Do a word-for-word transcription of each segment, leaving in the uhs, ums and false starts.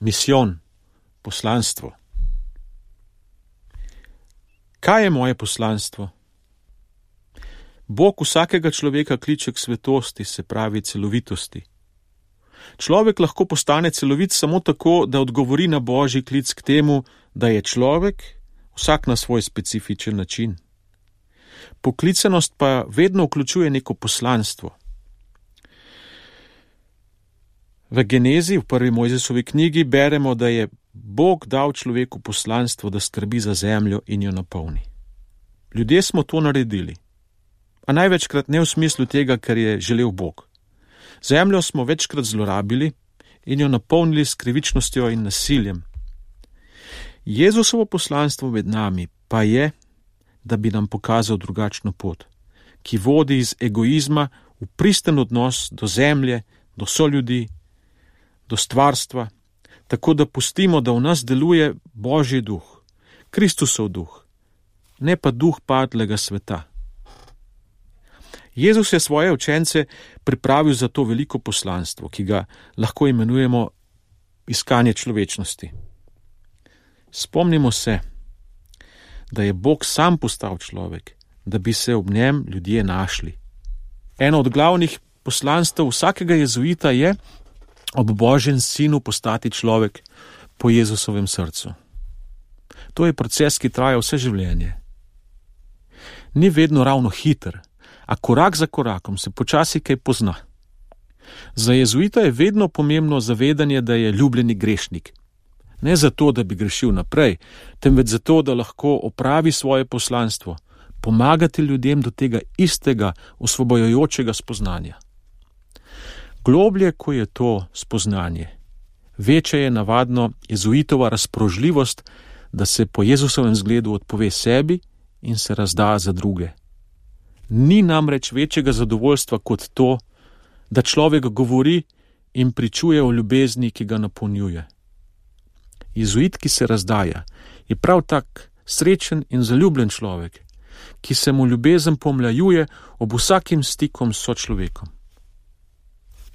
Misijon, poslanstvo. Kaj je moje poslanstvo? Bog vsakega človeka kliče k svetosti, se pravi celovitosti. Človek lahko postane celovit samo tako, da odgovori na Božji klic k temu, da je človek, vsak na svoj specifičen način. Poklicanost pa vedno vključuje neko poslanstvo. V Genezi, v prvi Mojzesovi knjigi, beremo, da je Bog dal človeku poslanstvo, da skrbi za zemljo in jo napolni. Ljudje smo to naredili, a največkrat ne v smislu tega, ker je želel Bog. Zemljo smo večkrat zlorabili in jo napolnili s krivičnostjo in nasiljem. Jezusovo poslanstvo med nami pa je, da bi nam pokazal drugačno pot, ki vodi iz egoizma v pristen odnos do zemlje, do soljudi, do stvarstva, tako da pustimo, da v nas deluje Božji duh, Kristusov duh, ne pa duh padlega sveta. Jezus je svoje učence pripravil za to veliko poslanstvo, ki ga lahko imenujemo iskanje človečnosti. Spomnimo se, da je Bog sam postal človek, da bi se ob njem ljudje našli. Eno od glavnih poslanstev vsakega jezuita je ob Božjem sinu postati človek po Jezusovem srcu. To je proces, ki traja vse življenje. Ni vedno ravno hiter, a korak za korakom se počasi kaj pozna. Za jezuita je vedno pomembno zavedanje, da je ljubljeni grešnik. Ne zato, da bi grešil naprej, temveč zato, da lahko opravi svoje poslanstvo, pomagati ljudem do tega istega osvobojujočega spoznanja. Globlje, ko je to spoznanje, večja je navadno jezuitova razpoložljivost, da se po Jezusovem zgledu odpove sebi in se razda za druge. Ni namreč večjega zadovoljstva kot to, da človek govori in pričuje o ljubezni, ki ga napolnjuje. Jezuit, ki se razdaja, je prav tak srečen in zaljubljen človek, ki se mu ljubezen pomlajuje ob vsakim stikom s sočlovekom.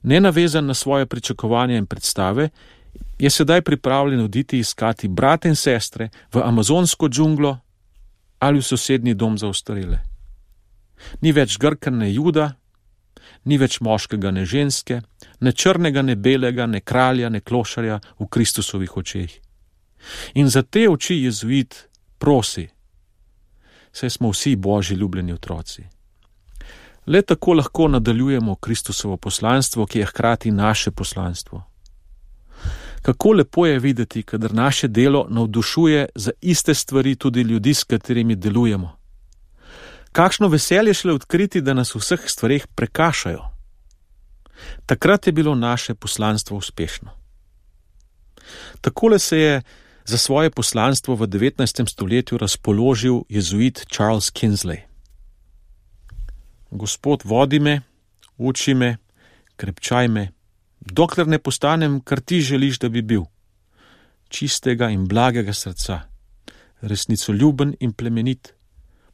Nenavezan na svoje pričakovanja in predstave, je sedaj pripravljen oditi iskati brate in sestre v amazonsko džunglo ali v sosednji dom za ostarele. Ni več Grka ne Juda, ni več moškega ne ženske, ne črnega ne belega, ne kralja ne klošarja v Kristusovih očeh. In za te oči jezuit prosi, saj smo vsi Božji ljubljeni otroci. Le tako lahko nadaljujemo Kristusovo poslanstvo, ki je hkrati naše poslanstvo. Kako lepo je videti, kadar naše delo navdušuje za iste stvari tudi ljudi, s katerimi delujemo. Kakšno veselje šele odkriti, da nas v vseh stvareh prekašajo. Takrat je bilo naše poslanstvo uspešno. Takole se je za svoje poslanstvo v devetnajstem stoletju razpoložil jezuit Charles Kingsley. Gospod, vodi me, uči me, krepčaj me, dokler ne postanem, kar ti želiš, da bi bil. Čistega in blagega srca, resnicoljuben in plemenit,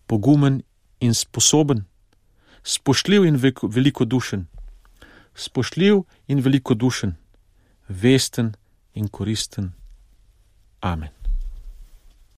pogumen in sposoben, spoštljiv in velikodušen, spoštljiv in velikodušen, vesten in koristen. Amen.